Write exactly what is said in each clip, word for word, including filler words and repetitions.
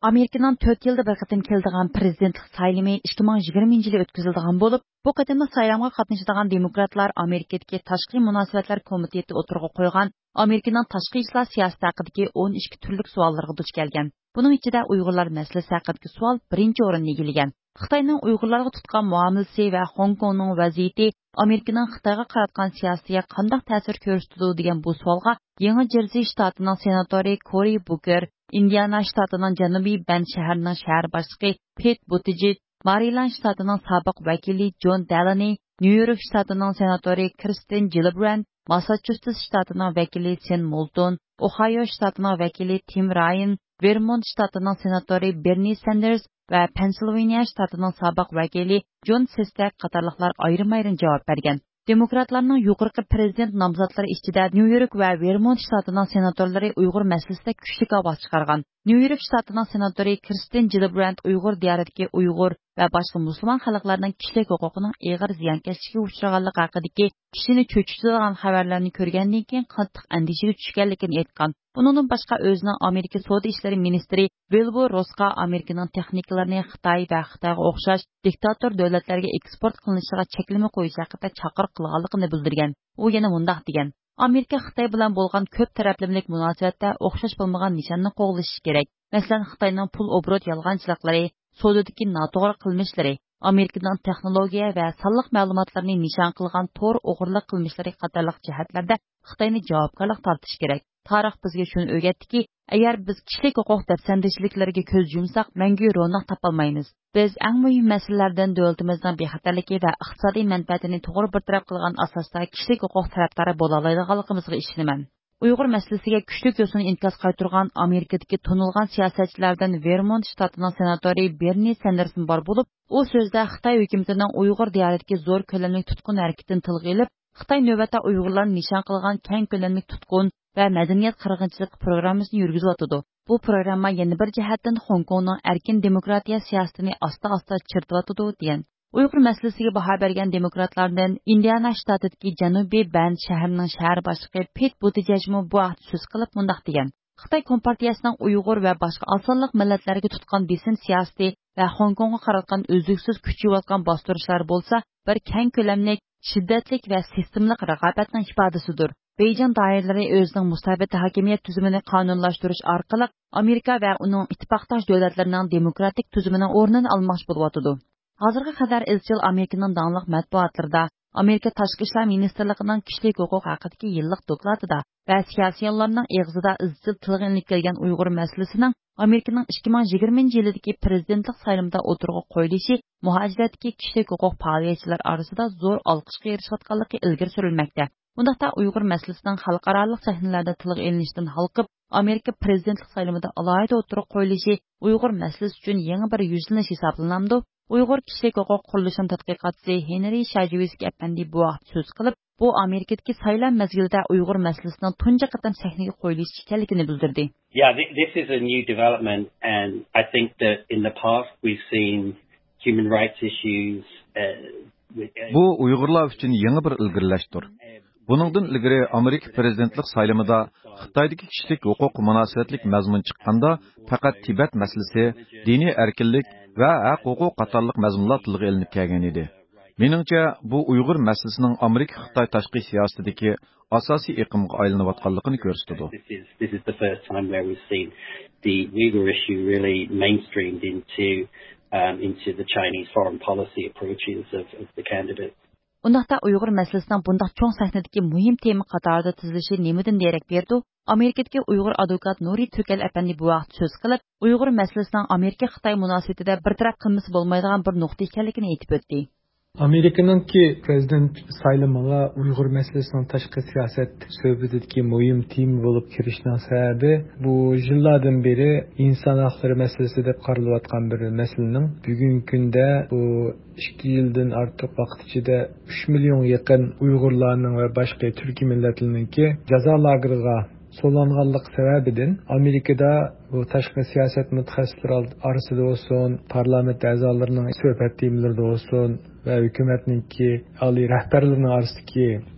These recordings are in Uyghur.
ئامېرىكىنىڭ تۆت يىلدا بىر قېتىم كېلىدىغان پىرېزىدېنتلىق سايلىمى ئىككى مىڭ يىگىرمىنچى يىلى ئۆتكۈزۈلىدىغان بولۇپ، بۇ قېتىملىق سايلامغا قاتنىشىدىغان دېموكراتلار ئامېرىكىدىكى تاشقى مۇناسىۋەتلەر كومىتېتى ئوتتۇرىغا قويغان ئامېرىكىنىڭ تاشقى ئىشلار سىياسىتى ھەققىدىكى ئون ئىككى تۈرلۈك سوئاللىرىغا دۇچ كەلگەن. بۇنىڭ ئىچىدە ئۇيغۇرلار مەسىلىسى ھەققىدىكى سوئال بىرىنچى ئورۇننى ئىگىلىگەن. خىتاينىڭ ئۇيغۇرلارغا تۇتقان مۇئامىلىسى ۋە خوڭكوڭنىڭ ۋەزىيىتى ئامېرىكىنىڭ خىتايغا قاراتقان سىياسىتىگە قانداق تەسىر كۆرسىتىدۇ دېگەن بۇ سوئالغا يېڭى جېرسى شتاتىنىڭ سېناتورى كورى بۇكېر، ئىندىئانا شتاتىنىڭ جەنۇبىي بەند شەھىرىنىڭ شەھەر باشلىقى پېت بۇتىجېج، مارىلاند شتاتىنىڭ سابىق ۋەكىلى جون دەلىنى، نيۇ يورك شتاتىنىڭ سېناتورى كىرستېن جىلىبراند، ماسساچۇسېتس شتاتىنىڭ ۋەكىلى سېن مولتون، ئوھايو شتاتىنىڭ ۋەكىلى تىم رايان، ۋېرمونت شتاتىنىڭ سېناتورى بېرنى ساندېرس ۋە پېنسىلۋانىيە شتاتىنىڭ سابىق ۋەكىلى جون سېستەك قاتارلىقلار ئايرىم-ئايرىم جاۋاب بەرگەن. دېموكراتلارنىڭ يۇقىرىقى پىرېزىدېنت نامزاتلىرى ئىچىدە نيۇ يورك ۋە ۋېرمونت شتاتىنىڭ سېناتورلىرى ئۇيغۇر مەسىلىسىدە كۈچلۈك ئاۋاز چىقارغان. نيۇ يورك شتاتىنىڭ سېناتورى كىرستېن جىلبراند ئۇيغۇر دىيارىدىكى ئۇيغۇر ۋە باشقا مۇسۇلمان خەلقلەرنىڭ كىشىلىك ھوقۇقىنىڭ ئېغىر زىيانكەشلىككە ئۇچرىغانلىقى ھەققىدىكى كىشىنى چۆچۈتىدىغان خەۋەرلەرنى كۆرگەندىن كېيىن قاتتىق ئەندىشىگە چۈشكەنلىكىنى ئېيتقان. بۇنىڭدىن باشقا ئۆزىنىڭ ئامېرىكا سودا ئىشلىرى مىنىستىرى ۋىلبۇر روسقا ئامېرىكىنىڭ تېخنىكىلىرىنى خىتاي ۋە خىتايغا ئوخشاش دىكتاتور دۆلەتلەرگە ئېكسپورت قىلىنىشىغا چەكلىمە قويۇش ھەققىدە چاقىرىق قىلغانلىقىنى بىلدۈرگەن. ئۇ يەنە مۇنداق دېگەن: ئامېرىكا خىتاي بىلەن بولغان كۆپ تەرەپلىمىلىك مۇناسىۋەتتە ئوخشاش بولمىغان نىشاننى قوغلىشى كېرەك. مەسىلەن، خىتاينىڭ پۇل ئوبوروت يالغانچىلىقلىرى، سودىدىكى ناتوغرا قىلمىشلىرى، ئامېرىكىنىڭ تېخنولوگىيە ۋە سانلىق مەلۇماتلارنى نىشان قىلغان تور ئوغرىلىق قىلمىشلىرى قاتارلىق جەھەتلەردە خىتاينى جاۋابكارلىققا تارتىش كېرەك. تارىخ بىزگە شۇنى ئۆگەتتىكى، ئەگەر بىز كىشىلىك ھوقۇق دەپسەندىچىلىكلىرىگە كۆز يۇمساق، مەڭگۈ روناق تاپالمايمىز. بىز ئەڭ مۇھىم مەسىلىلەردىن دۆلىتىمىزنىڭ بىخەتەرلىكى ۋە ئىقتىسادىي مەنپەئەتىنى توغرا بىر تەرەپ قىلغان ئاساستا كىشىلىك ھوقۇق تەرەپدارى بولالايدىغانلىقىمىزغا ئىشىنىمەن. ئۇيغۇر مەسىلىسىگە كۈچلۈك يوسۇن ئىنكاس قايتۇرغان ئامېرىكىدىكى تونۇلغان سىياسەتچىلەردىن ۋېرمونت شتاتىنىڭ سېناتورى بېرنى ساندېرسمۇ بار بولۇپ، ئۇ سۆزىدە خىتاي ھۆكۈمىتىنىڭ ئۇيغۇر دىيارىدىكى زور كۆلەملىك تۇتقۇن ھەرىكىتىنى تىلغا ئېلىپ، خىتاي نۆۋەتتە ئۇيغۇرلارنى نىشان قىلغان كەڭ كۆلەملىك تۇتقۇن ۋە مەدەنىيەت قىرغىنچىلىقى پروگراممىسىنى يۈرگۈزۈۋاتىدۇ. بۇ پروگرامما يەنە بىر جەھەتتىن خوڭكوڭنىڭ ئەركىن دېموكراتىيە سىياسىتىنى ئاستا-ئاستا چىرىتىۋاتىدۇ، دېگەن. ئۇيغۇر مەسىلىسىگە باھا بەرگەن دېموكراتلاردىن ئىندىئانا شتاتىدىكى جەنۇبىي بەند شەھىرىنىڭ شەھەر باشلىقى پېت بۇتىجېجمۇ بۇ ھەقتە سۆز قىلىپ مۇنداق دېگەن: خىتاي كومپارتىيەسىنىڭ ئۇيغۇر ۋە باشقا ئاز سانلىق مىللەتلەرگە تۇتقان بېسىم سىياسىتى ۋە خوڭكوڭغا قاراتقان ئۈزلۈكسىز كۈچىيىۋاتقان باستۇرۇشلار بولسا بىر كەڭ كۆلەملىك، شىددەتلىك ۋە سىستېمىلىق رىقابەتنىڭ ئىپادىسىدۇر. بېيجىڭ دائىرىلىرى ئۆزىنىڭ مۇستەبىت ھاكىمىيەت تۈزۈمىنى قانۇنلاشتۇرۇش ئارقىلىق ئامېرىكا ۋە ئۇنىڭ ئىتتىپاقداش دۆلەتلىرىنىڭ دېموكراتىك تۈزۈمىنىڭ ئورنىنى ئالماقچى بولۇۋاتىدۇ. ھازىرغا قەدەر ئىزچىل ئامېرىكىنىڭ داڭلىق مەتبۇئاتلىرىدا، ئامېرىكا تاشقى ئىشلار مىنىستىرلىقىنىڭ كىشىلىك ھوقۇق ھەققىدىكى يىللىق دوكلاتىدا ۋە سىياسىيونلارنىڭ ئېغىزىدا ئىزچىل تىلغا ئېلىنىپ كەلگەن ئۇيغۇر مەسىلىسىنىڭ ئامېرىكىنىڭ ئىككى مىڭ يىگىرمىنچى يىلىدىكى پىرېزىدېنتلىق سايلىمىدا ئوتتۇرىغا قويۇلۇشى مۇھاجىرەتتىكى كىشىلىك ھوقۇق پائالىيەتچىلەر ئارىسىدا زور ئالقىشقا ئېرىشىۋاتقانلىقى ئىلگىرى سۈرۈلمەكتە. بۇنداقتا ئۇيغۇر مەسىلىسىنىڭ خەلقئارالىق سەھنىلەردە تىلغا ئېلىنىشتىن ھالقىپ، ئامېرىكا پىرېزىدېنتلىق سايلىمىدا ئالاھىدە ئوتتۇرىغا قويۇلۇشى ئۇيغۇر مەسىلىسى ئۈچۈن يېڭى بىر يۈزلىنىش ھېسابلىنامدۇ؟ ئۇيغۇر كىشىلىك ھوقۇق قۇرۇلۇشىنىڭ تەتقىقاتچىسى ھېنرى شاجېۋسكىي ئەپەندى بۇ ھەقتە سۆز قىلىپ، بۇ ئامېرىكىدىكى سايلام مەزگىلىدە ئۇيغۇر مەسىلىسىنىڭ تۇنجى قېتىم سەھنىگە قويۇلۇشى ئىكەنلىكىنى بىلدۈردى. Yeah, thi- this is a new development, and I think that in the past we've seen human rights issues. Uh, with- بۇ ئۇيغۇرلار ئۈچۈن يېڭى بىر ئىلگىرىلەشتۇر. بۇنىڭدىن ئىلگىرى ئامېرىكا پىرېزىدېنتلىق سايلىمىدا خىتايدىكى كىشىلىك ھوقۇققا مۇناسىۋەتلىك مەزمۇن چىققاندا، پەقەت تىبەت مەسىلىسى، دىنىي ئەركىنلىك ۋە ھەق-ھوقۇق قاتارلىق مەزمۇنلار تىلغا ئېلىنىپ كەلگەن ئىدى. مېنىڭچە، بۇ ئۇيغۇر مەسىلىسىنىڭ ئامېرىكا-خىتاي تاشقى سىياسىتىدىكى ئاساسىي ئېقىمغا ئايلىنىۋاتقانلىقىنى كۆرسىتىدۇ. This is, this is the first time where we've seen the Uyghur issue really mainstreamed into, um, into the Chinese foreign policy approaches of, of the candidate. ئۇنداقتا ئۇيغۇر مەسىلىسىنىڭ بۇنداق چوڭ سەھنىدىكى مۇھىم تېما قاتارىدا تىزىلىشى نېمىدىن دېرەك بېرىدۇ؟ ئامېرىكىدىكى ئۇيغۇر ئادۋوكات نۇرى تۈركەل ئەپەندى بۇ ھەقتە سۆز قىلىپ، ئۇيغۇر مەسىلىسىنىڭ ئامېرىكا-خىتاي مۇناسىۋىتىدە بىر تەرەپ قىلمىسا بولمايدىغان بىر نۇقتا ئىكەنلىكىنى ئېيتىپ ئۆتتى. ئامېرىكىنىڭكى پىرېزىدېنت سايلىمىغا ئۇيغۇر مەسىلىسىنىڭ تاشقى سىياسەت سۆھبىتىدىكى مۇھىم تېما بولۇپ كىرىشىنىڭ سەۋەبى، بۇ يىللاردىن بېرى ئىنسان ھەقلىرى مەسىلىسى دەپ قارىلىۋاتقان بىر مەسىلىنىڭ بۈگۈنكى كۈندە بۇ ئىككى يىلدىن ئارتۇق ۋاقىت ئىچىدە ئۈچ مىليون يېقىن ئۇيغۇرلارنىڭ ۋە باشقا تۈركىي مىللەتلەرنىڭكى جازا لاگېرىغا سولانغانلىق سەۋەبىدىن، ئامېرىكىدا بۇ تاشقى سىياسەت مۇتەخەسسىسلىرى ئارىسىدا بولسۇن، پارلامېنت ئەزالىرىنىڭ سۆھبەت تېمىلىرىدا بولسۇن ۋە ھۆكۈمەتنىڭكى ئالىي رەھبەرلىرىنىڭ ئارىسىدىكى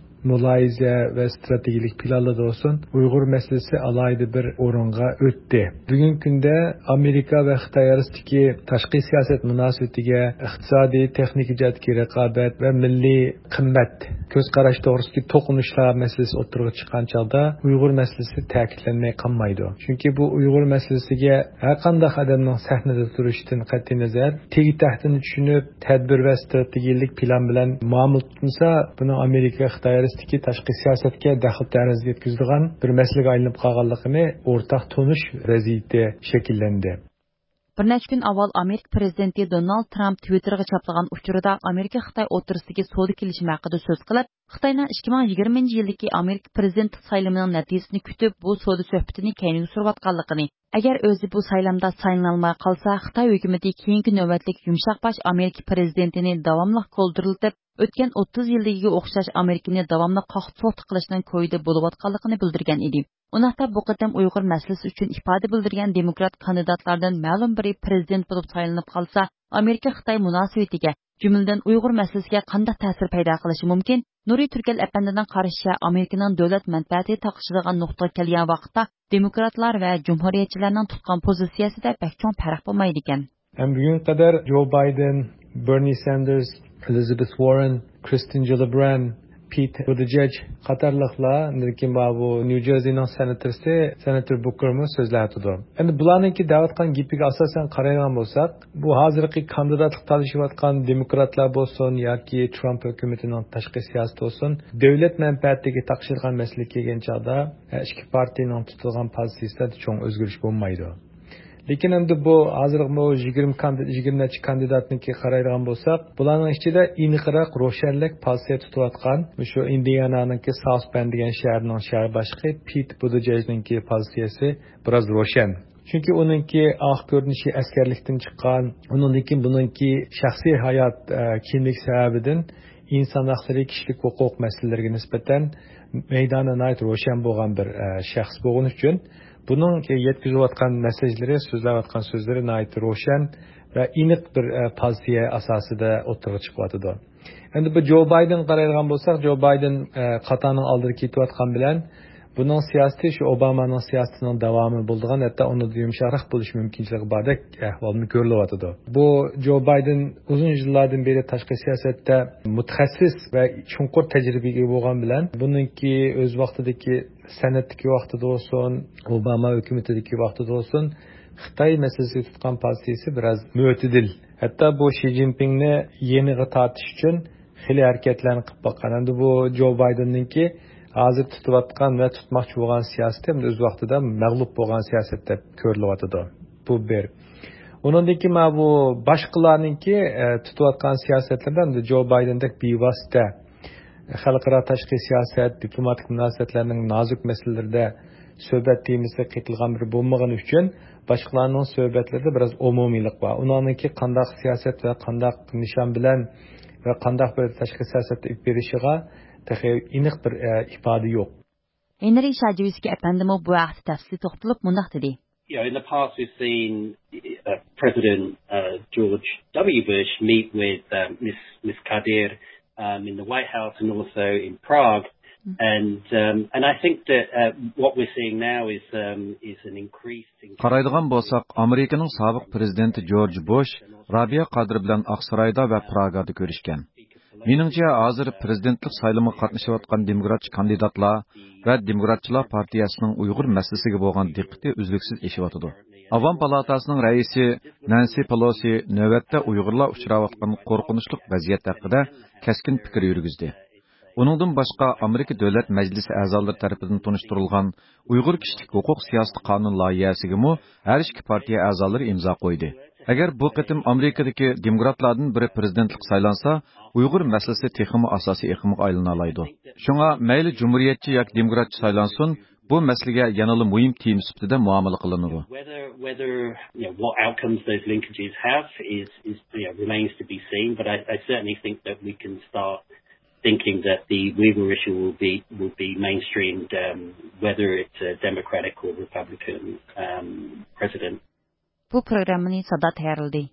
مۇلاھىزە ۋە ئىستراتېگىيەلىك پىلانلىرىدا بولسۇن، ئۇيغۇر مەسىلىسى ئالاھىدە بىر ئورۇنغا ئۆتتى. بۈگۈنكى كۈندە ئامېرىكا ۋە خىتاي ئارىسىدىكى تاشقى سىياسەت مۇناسىۋىتىگە ئىقتىسادىي، تېخنىكا جەھەتتىكى رىقابەت ۋە مىللىي قىممەت، كۆز قاراش توغرىسىدىكى توقۇنۇشلار مەسىلىسى ئوتتۇرىغا چىققان چاغدا ئۇيغۇر مەسىلىسى تەكىتلەنمەي قالمايدۇ. چۈنكى بۇ ئۇيغۇر مەسىلىسىگە ھەر قانداق ئادەمنىڭ سەھنىدە تۇرۇشىدىن قەتئىينەزەر، تېگى تەكتىنى چۈشىنىپ، تەدبىر ۋە ئىستراتېگىيەلىك پىلان بىلەن مۇئامىلە تۇتمىسا، بۇنىڭ ئامېرىكا، خىتاي ئارىسىدىكى تاشقى سىياسەتكە دەخلى تەرۇز يەتكۈزىدىغان بىر مەسىلىگە ئايلىنىپ قالغانلىقىنى ئورتاق تونۇش ۋەزىيىتى شەكىللەندى. بىر نەچچە كۈن ئاۋۋال ئامېرىكا پىرېزىدېنتى دونالد ترامپ تىۋىتتېرغا چاپلىغان ئۇچۇرىدا ئامېرىكا خىتاي ئوتتۇرىسىدىكى سودا كېلىشىمى ھەققىدە سۆز قىلىپ، خىتاينىڭ ئىككى مىڭ يىگىرمىنچى يىلدىكى ئامېرىكا پىرېزىدېنتلىق سايلىمىنىڭ نەتىجىسىنى كۈتۈپ، بۇ سودا سۆھبىتىنى كەينىگە سۈرۈۋاتقانلىقىنى، ئەگەر ئۆزى بۇ سايلامدا سايلىنالماي قالسا، خىتاي ھۆكۈمىتى كېيىنكى نۆۋەتلىك يۇمشاق باش ئامېرىكا پىرېزىدېنتىنى داۋاملىق گولدۇرلىتىپ، ئۆتكەن ئوتتۇز يىلدىكىگە ئوخشاش ئامېرىكىنى داۋاملىق قاقتى-سوقتى قىلىشنىڭ كويىدا بولۇۋاتقانلىقىنى بىلدۈرگەن ئىدى. ئۇنداقتا بۇ قېتىم ئۇيغۇر مەسىلىسى ئۈچۈن ئىپادە بىلدۈرگەن دېموكرات كاندىداتلاردىن مەلۇم بىرى پىرېزىدېنت بولۇپ سايلىنىپ قالسا، ئامېرىكا خىتاي مۇناسىۋىتىگە، جۈملىدىن ئۇيغۇر مەسىلىسىگە قانداق تەسىر پەيدا قىلىشى مۇمكىن؟ نۇرى تۈركەل ئەپەندىنىڭ قارىشىچە، ئامېرىكىنىڭ دۆلەت مەنپەئەتى تاقىشىدىغان نۇقتىغا كەلگەن ۋاقىتتا، دېموكراتلار ۋە جۇمھۇرىيەتچىلەرنىڭ تۇتقان پوزىتسىيەسىدە بەك چوڭ پەرق بولمايدىكەن. ھەم بۈگۈنگە قەدەر جو بايدېن، بېرنى ساندېرس، ئېلىزابېت ۋاررېن، كىرستېن گىللىبراند، پېت بۇتىجېج قاتارلىقلار، لېكىن ماۋۇ نيۇ جېرسىنىڭ سېناتورى، سېناتور بۇكېرمۇ سۆزلەۋاتىدۇ. ئەمدى بۇلارنىڭكى دەۋاتقان گېپىگە ئاساسەن قارايدىغان بولساق، بۇ ھازىرقى كاندىداتلىق تالىشىۋاتقان دېموكراتلار بولسۇن ياكى ترامپ ھۆكۈمىتىنىڭ تاشقى سىياسىتى بولسۇن، دۆلەت مەنپەئەتىگە تاقىشىدىغان مەسىلە كەلگەن چاغدا، ھە، ئىككى پارتىيىنىڭ تۇتىدىغان پوزىتسىيىسىدە چوڭ ئۆزگىرىش بولمايدۇ. لېكىن ئەمدى بۇ ھازىرمۇ يىگىرمە كاندىد-، يىگىرمە نەچچە كاندىداتنىڭكى قارايدىغان بولساق، بۇلارنىڭ ئىچىدە ئېنىقراق، روشەنرەك پوزىتسىيە تۇتۇۋاتقان، مۇشۇ ئىندىئانانىڭكى ساوس بەند دېگەن شەھەرنىڭ شەھەر باشلىقى پېت بۇتىجېجنىڭكى پوزىتسىيەسى بىراز روشەن. چۈنكى ئۇنىڭكى ئاق كۆرۈنۈشى ئەسكەرلىكتىن چىققان، ئۇنىڭدىن كېيىن بۇنىڭكى شەخسىي ھايات، ئە، كىملىك سەۋەبىدىن ئىنسان ھەقلىرى، كىشىلىك ھوقۇق مەسىلىلىرىگە نىسبەتەن مەيدانى ناھايىتى روشەن بولغان بىر، ئە، شەخس بولغىنى ئۈچۈن، بۇنىڭ يەتكۈزۈۋاتقان مەسساژلىرى، سۆزلەۋاتقان سۆزلىرى ناھايىتى روشەن ۋە ئېنىق بىر، ئە، پوزىتسىيە ئاساسىدا ئوتتۇرىغا چىقىۋاتىدۇ. ئەمدى بۇ جو بايدېنغا قارايدىغان بولساق، جو بايدېن، ئە، قاتارنىڭ ئالدىدا كېتىۋاتقان بىلەن، بۇنىڭ سىياسىتى شۇ ئوبامانىڭ سىياسىتىنىڭ داۋامى بولىدىغان، ھەتتا ئۇنىڭدىن يۇمشاقراق بولۇش مۇمكىنچىلىكى باردەك ئەھۋالمۇ كۆرۈلۈۋاتىدۇ. بۇ جو بايدېن ئۇزۇن يىللاردىن بېرى تاشقى سىياسەتتە مۇتەخەسسىس ۋە چوڭقۇر تەجرىبىگە ئىگە بولغان بىلەن، بۇنىڭكى ئۆز ۋاقتىدىكى سېناتتىكى ۋاقتىدا بولسۇن، ئوباما ھۆكۈمىتىدىكى ۋاقتىدا بولسۇن، خىتاي مەسىلىسىگە تۇتقان پوزىتسىيىسى بىراز مۆتىدىل. ھەتتا بۇ شى جىنپىڭنى يېنىغا تارتىش ئۈچۈن خېلى ھەرىكەتلەرنى قىلىپ باققان. ئەمدى بۇ جو بايدېننىڭكى ھازىر تۇتۇۋاتقان ۋە تۇتماقچى بولغان سىياسىتى ئەمدى ئۆز ۋاقتىدا مەغلۇپ بولغان سىياسەت دەپ كۆرۈلۈۋاتىدۇ. بۇ بىر. ئۇنىڭدىن كېيىن مانا بۇ باشقىلارنىڭكى، ئە، تۇتۇۋاتقان سىياسەتلىرىدە ئەمدى جو بايدېندەك بىۋاسىتە خەلقئارا تاشقى سىياسەت، دىپلوماتىك مۇناسىۋەتلەرنىڭ نازۇك مەسىلىلىرىدە سۆھبەت تېمىسى قېتىلغان بىرى بولمىغىنى ئۈچۈن، باشقىلارنىڭ سۆھبەتلىرىدە بىراز ئومۇمىيلىق بار. ئۇلارنىڭكى قانداق سىياسەت ۋە قانداق نىشان بىلەن ۋە قانداق بىر تاشقى سىياسەتتە ئېلىپ بېرىشىغا تېخى ئېنىق بىر، ئە، ئىپادە يوق. ھېنرى شاجېۋسكىي ئەپەندىمۇ بۇ ھەقتە تەپسىلىي توختىلىپ مۇنداق دېدى. You know, in the past we've seen uh, President uh, George W. Bush meet with um, Miss, Miss Kadir um, in the White House and also in Prague. And um, and I think that uh, what we're seeing now is um, is an increased. قارايدىغان بولساق، ئامېرىكىنىڭ سابىق پىرېزىدېنتى جورج بۇش رابىيە قادىر بىلەن ئاقسارايدا ۋە پراگادا كۆرۈشكەن. مېنىڭچە، ھازىر پىرېزىدېنتلىق سايلىمىغا قاتنىشىۋاتقان دېموكراتچى كاندىداتلار ۋە دېموكراتچىلار پارتىيەسىنىڭ ئۇيغۇر مەسىلىسىگە بولغان دىققىتى ئۈزلۈكسىز ئېشىۋاتىدۇ. ئاۋام پالاتاسىنىڭ رەئىسى نەنسى پېلوسى نۆۋەتتە ئۇيغۇرلار ئۇچراۋاتقان قورقۇنچلۇق ۋەزىيەت ھەققىدە كەسكىن پىكىر يۈرگۈزدى. ئۇنىڭدىن باشقا، ئامېرىكا دۆلەت مەجلىسى ئەزالىرى تەرىپىدىن تونۇشتۇرۇلغان ئۇيغۇر كىشىلىك ھوقۇق سىياسىتى قانۇن لايىھەسىگىمۇ ھەر ئىككى پارتىيە ئەزالىرى ئىمزا قويدى. ئەگەر بۇ قېتىم ئامېرىكىدىكى دېموكراتلاردىن بىرى پىرېزىدېنتلىققا سايلانسا، ئۇيغۇر مەسىلىسى تېخىمۇ ئاساسىي ئېقىمغا ئايلىنالايدۇ. شۇڭا مەيلى جۇمھۇرىيەتچى ياكى دېموكراتچى سايلانسۇن، بۇ مەسىلىگە يەنىلا مۇھىم تېما سۈپىتىدە مۇئامىلە قىلىنىدۇ. Whether, whether, you know, what outcomes those linkages have is, is, you know, remains to be seen, but I, I certainly think that we can start thinking that the Uyghur issue will be, will be mainstreamed, um, whether it's a Democratic or Republican, um, president. بۇ پروگراممىنى سادا تەييارلىدى.